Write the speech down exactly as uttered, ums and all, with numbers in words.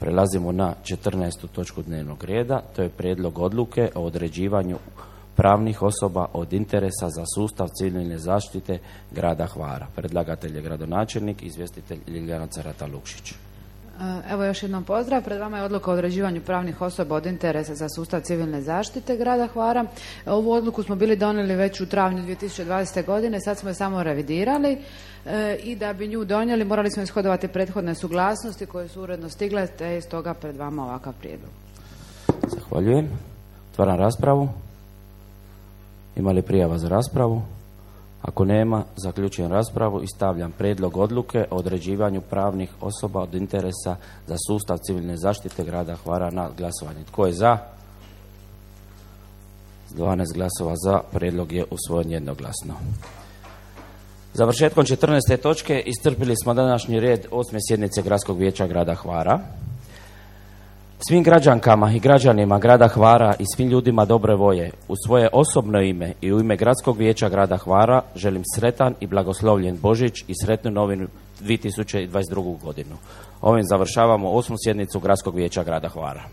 Prelazimo na četrnaestu točku dnevnog reda, to je prijedlog odluke o određivanju pravnih osoba od interesa za sustav civilne zaštite grada Hvara. Predlagatelj je gradonačelnik, izvjestitelj Ljiljana Carata-Lukšić. Evo još jednom pozdrav. Pred vama je odluka o određivanju pravnih osoba od interesa za sustav civilne zaštite grada Hvara. Ovu odluku smo bili donijeli već u travnju dvije tisuće dvadesete. godine, sad smo je samo revidirali e, i da bi nju donijeli morali smo ishodovati prethodne suglasnosti koje su uredno stigle, te je stoga pred vama ovakav prijedlog. Zahvaljujem. Otvaram raspravu. Ima li prijava za raspravu? Ako nema, zaključujem raspravu i stavljam prijedlog odluke o određivanju pravnih osoba od interesa za sustav civilne zaštite grada Hvara na glasovanje. Tko je za? dvanaest glasova za, prijedlog je usvojen jednoglasno. Završetkom četrnaeste točke iscrpili smo današnji red osme sjednice Gradskog vijeća grada Hvara. Svim građankama i građanima grada Hvara i svim ljudima dobre volje u svoje osobno ime i u ime Gradskog vijeća grada Hvara želim sretan i blagoslovljen Božić i sretnu novinu dvije tisuće dvadeset drugu. godinu. Ovim završavamo osmu sjednicu Gradskog vijeća grada Hvara.